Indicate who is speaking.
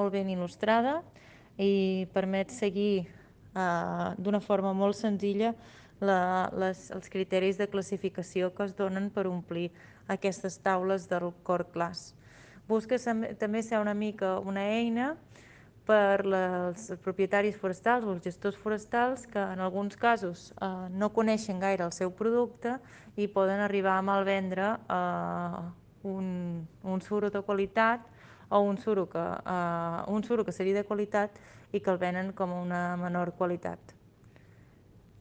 Speaker 1: molt ben il·lustrada i permet seguir d'una forma molt senzilla els criteris de classificació que es donen per omplir aquestes taules del Core Class. Busca també ser una mica una eina per als propietaris forestals o els gestors forestals que en alguns casos no coneixen gaire el seu producte i poden arribar a malvendre un suro de qualitat o un suro que seria de qualitat i que el venen com una menor qualitat.